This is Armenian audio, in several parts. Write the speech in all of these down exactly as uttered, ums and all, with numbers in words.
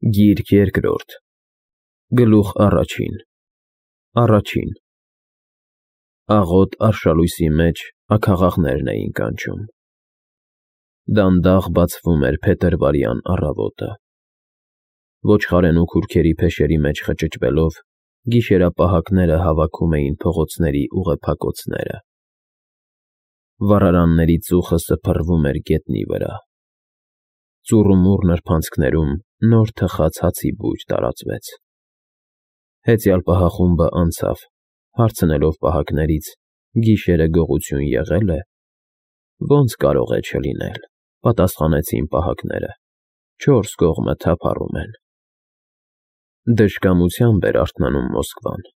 Գիրք երկրորդ, գլուխ առաջին, առաջին Աղոտ արշալույսի մեջ աքաղաղներն էին կանչում։ Դանդաղ բացվում էր փետրվարյան առավոտը։ Ոչխարենու քուրքերի փեշերի մեջ խճճվելով, գիշերապահակները հավաքում էին փողոցների ուղեփակոցները։ Վառարանների ծուխը սփռվում էր գետնի վրա։ Ծուռումուռ նրբանցքներում նոր թխած հացի բույր տարածվեց։ Հեծյալ պահախումբը անցավ, հարցնելով պահակներից՝ գիշերը գողություն եղե՞լ է։ Ոնց կարող է չլինել, պատասխանեցին պահակները, չորս կողմը թափառում են։ Դժկամությամբ էր արթնանում Մոսկվան։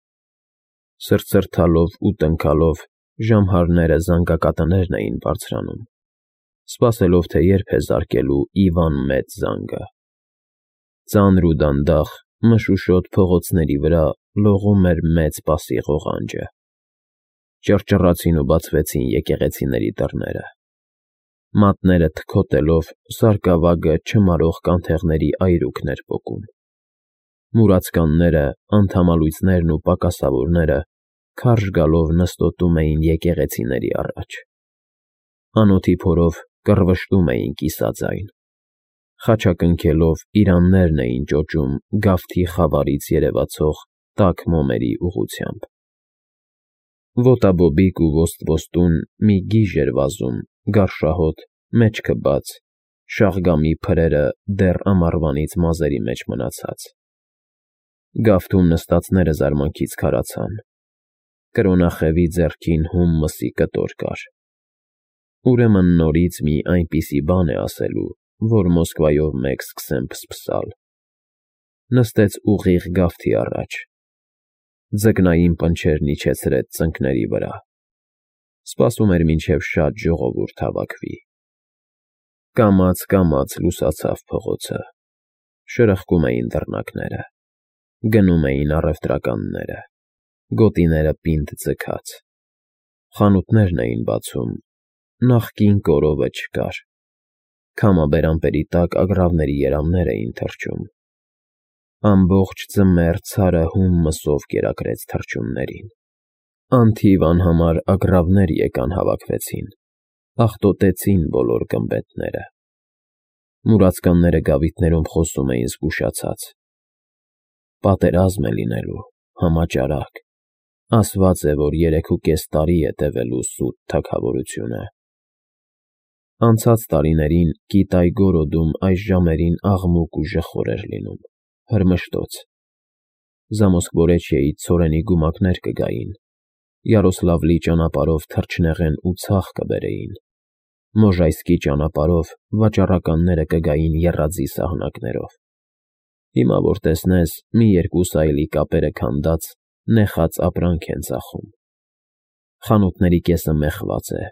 Սրտսրտալով ու տնքալով ժամհարները զանգակատներն էին բարձրանում, սպասելով, թե երբ է զարկելու Իվան Մեծ զանգը։ Ծանր ու դանդաղ, մշուշոտ փողոցների վրա լողում էր մեծ պասի ղողանջը։ Ճռճռացին ու բացվեցին եկեղեցիների դռները։ Մատները թքոտելով, սարկավագը չմարող կանթեղների այրուքն էր պոկում։ Մուրացկանները, անդամալույծներն ու պակասավորները քարշ գալով նստոտում էին եկեղեցիների առաջ։ Անոթի փորով կռվշտում էին կիսաձայն։ Խաչակնքելով իրաններն էին ճոճում գավթի խավարից երևացող տաք մոմերի ուղղությամբ։ Ոտաբոբիկ ու ոսტվոստուն մի գիժ էր վազում, գարշահոտ, մեջքը բաց, շաղգամի փրերը դեռ ամառվանից մազերի մեջ մնացած։ Գավթում նստածները զարմանքից քարացան։ Կրոնախևի ձեռքին հում մսի կտոր կար։ Ուրեմն նորից մի այնպիսի բան է ասելու, որ Մոսկվայով մեկ սկսեն փսփսալ։ Նստեց ուղիղ գավթի առաջ։ Ձկնային պնչերն իջեցրեց ծնկների վրա։ Սպասում էր, մինչև շատ ժողովուրդ հավաքվի։ Կամաց֊կամաց լուսացավ փողոցը։ Շրխկում էին դռնակները։ Գնում էին առևտրականները։ Գոտիները պինդ ձգած։ Խանութներն էին բացում։ Նախկին կորովը չկար։ Քամաբերանպերի տակ ագռավների երամներ էին թռչում։ Ամբողջ ձմեռ ցարը հում մսով կերակրեց թռչուններին։ Անթիվ անհամար ագռավներ եկան հավաքվեցին, աղտոտեցին բոլոր գմբեթները։ Մուրացկանները գավիթներում խոսում էին զգուշացած։ Պատերազմ է լինելու, համաճարակ։ Ասված է, որ երեքուկես տարի է տևելու սուտ թագավորությունը։ Անցած տարիներին Կիտայ֊Գորոդում այս ժամերին աղմուկ ու ժխոր էր լինում, հրմշտոց։ Զամոսկվորեչիեից ցորենի գումակներ կգային, Յարոսլավլի ճանապարհով թռչնեղեն ու ցախ կբերեին, Մոժայսկի ճանապարհով վաճառականները կգային եռաձի սահնակներով։ Հիմա որ տեսնես, մի երկու սայլի կապերը քանդած, նեխած ապրանք են ծախում։ Խանութների կեսը մեխված է,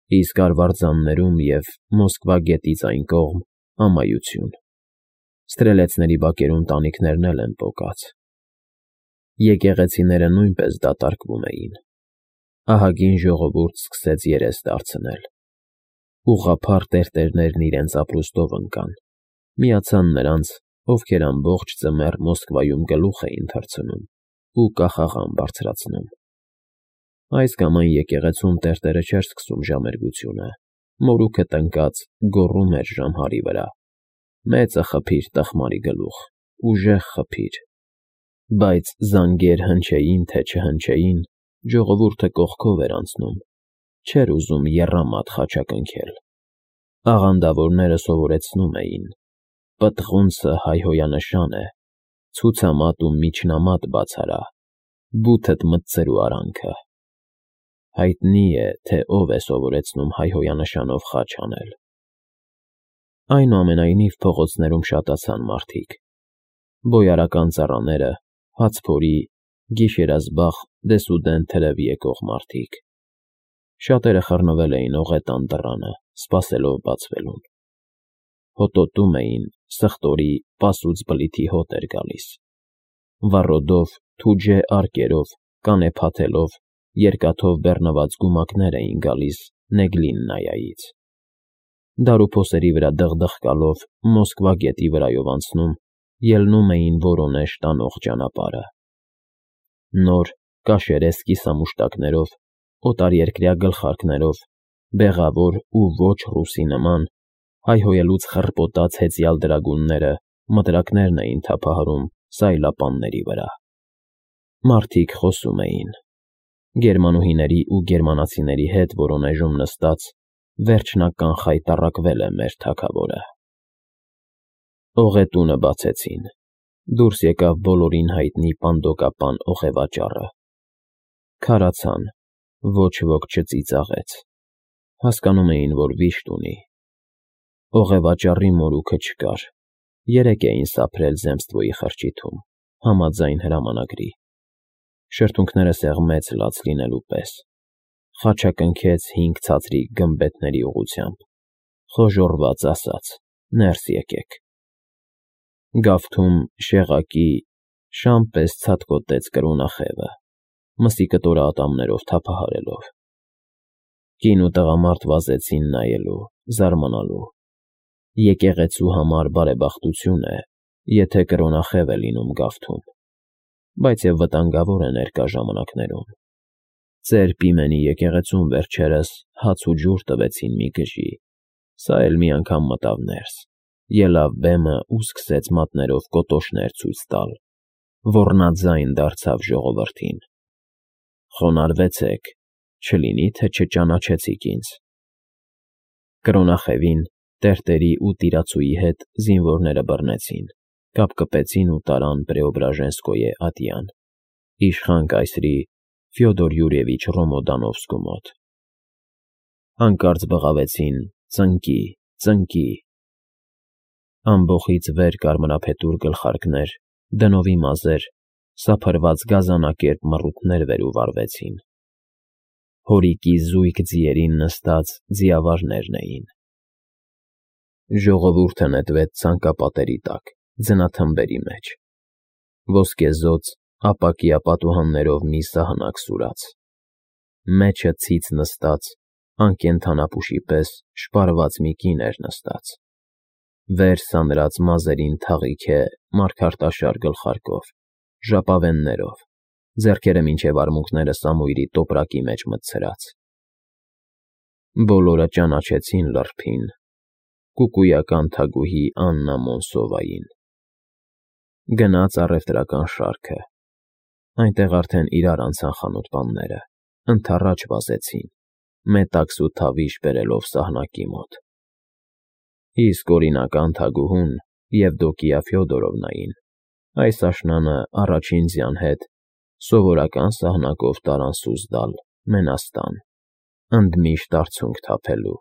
իսկ արվարձաններում և Մոսկվա գետից այն կողմ ամայություն։ Սթրելեցների բակերում տանիքներն էլ են պոկած։ Եկեղեցիները նույնպես դատարկվում էին։ Ահագին ժողովուրդ սկսեց երես դարձնել։ Ուղղափառ տերտերներն իրենց ապրուստով ընկան, միացան նրանց, ովքեր ամբողջ ձմեռ Մոսկվայում գլուխ էին թռցնում ու կախաղան բարձրացնում։ Այս կամ այն եկեղեցում տերտերը չէր սկսում ժամերգությունը, մորուքը տնկած գոռում էր ժամհարի վրա. «Մեծը խփիր, տխմարի գլուխ, ուժեղ խփիր»։ Բայց զանգեր հնչեին, թե չհնչեին, ժողովուրդը կողքով էր անցնում, չէր ուզում եռամատ խաչակնքել։ Աղանդավորները սովորեցնում էին. «Պտղունցը հայհոյանշան է, ցուցամատ ու միջնամատ բաց արա, բութդ մտցրու արանքը»։ Հայտնի է, թե ով է սովորեցնում հայհոյանշանով խաչ անել։ Այնուամենայնիվ փողոցներում շատացան մարդիկ։ Բոյարական ծառաները, հացփորի, գիշերազբաղ դեսուդեն թրև եկող մարդիկ։ Շատերը խռնվել էին օղետան դռանը, սպասելով բացվելուն։ Հոտոտում էին, սխտորի, պասուց բլիթի հոտ էր գալիս։ Վառոդով, թուջե արկերով, կանեփաթելով, երկաթով բեռնված գումակներ էին գալիս Նեգլիննայայից։ Դարուփոսերի վրա դղդղկալով, Մոսկվա գետի վրայով անցնում, ելնում էին Որոնեժ տանող ճանապարհը։ Նոր կաշերես կիսամուշտակներով, օտարերկրյա գլխարկներով, բեղավոր ու ոչ ռուսի նման, հայհոյելուց խռպոտած հեծյալ դրագունները մտրակներն էին թափահարում սայլապանների վրա։ Մարդիկ խոսում էին։ Գերմանուհիների ու գերմանացիների հետ Որոնեժում նստած վերջնական խայտառակվել է մեր թագավորը։ Օղետունը բացեցին։ Դուրս եկավ բոլորին հայտնի պանդոկապան օղևաճառը։ Քարացան, ոչ ոք չծիծաղեց։ Հասկանում էին, որ վիշտ ունի։ Օղևաճառի մորուքը չկար։ Երեկ էին սափրել Զեմստվոյի խրճիթում, համաձայն հրամանագրի։ Շրթունքները սեղմեց լաց լինելու պես։ Խաչակնքեց հինգ ցածրիկ գմբեթների ուղղությամբ, խոժոռված ասաց. «Ներս եկեք»։ Գավթում շեղակի շամ պես ցատկոտեց կրոնախևը, մսի կտորը ատամներով թափահարելով։ Կին ու տղամարդ վազեցին նայելու, զարմանալու։ Եկեղեցու համար բարեբախտություն է, եթե կրոնախև է լինում գավթում, բայց և վտանգավոր է ներկա ժամանակներում։ Ծեր Պիմենի եկեղեցում վերջերս հաց ու ջուր տվեցին մի գժի, սա էլ մի անգամ մտավ ներս, ելավ բեմը ու սկսեց մատներով կոտոշներ ցույց տալ, ոռնաձայն դարձավ ժողովրդին. «Խոնարհվեցեք, չլինի թե չճանաչեցիք ինձ»։ Կրոնախևին տերտերի ու տիրացուի հետ զինվորները բռնեցին, կապկպեցին ու տարան Պրեոբրաժենսկոյե ատյան, իշխան կայսրի Ֆյոդոր Յուրիևիչ Ռոմոդանովսկու մոտ։ Հանկարծ բղավեցին. «Ծնկի, ծնկի»։ Ամբոխից վեր կարմրափետուր գլխարկներ, դնովի մազեր, սափրված գազանակերպ մռութներ վեր ու վառվեցին։ Հորիկի զույգ ձիերին նստած ձիավարներն էին։ Ժողովուրդը նետվեց ցանկապատերի տակ, ձնաթմբերի մեջ։ Ոսկեզօծ ապակյա պատուհաններով մի սահնակ սուրաց։ Մեջը ցից նստած, անկենդանապուշի պես շպարված մի կին էր նստած։ Վեր սանրած մազերին թաղիք է մարգարտաշար գլխարկով, ժապավեններով, ձեռքերը մինչև արմունկները սամույրի տոպրակի մեջ մտցրած։ Բոլորը ճանաչեցին լռփին, կուկույական թագուհի Աննա Մոնսովային։ Գնաց առևտրական շարքը։ Այնտեղ արդեն իրար անցան խանութպանները, ընդառաջ վազեցին, մետաքս ու թավիշ բերելով սահնակի մոտ։ Իսկ օրինական թագուհուն Եվդոկիա Ֆյոդորովնային այս աշնանը առաջին ձյան հետ սովորական սահնակով տարան Սուզդալ, Մենաստան, ընդմիշտ արցունք թափելու։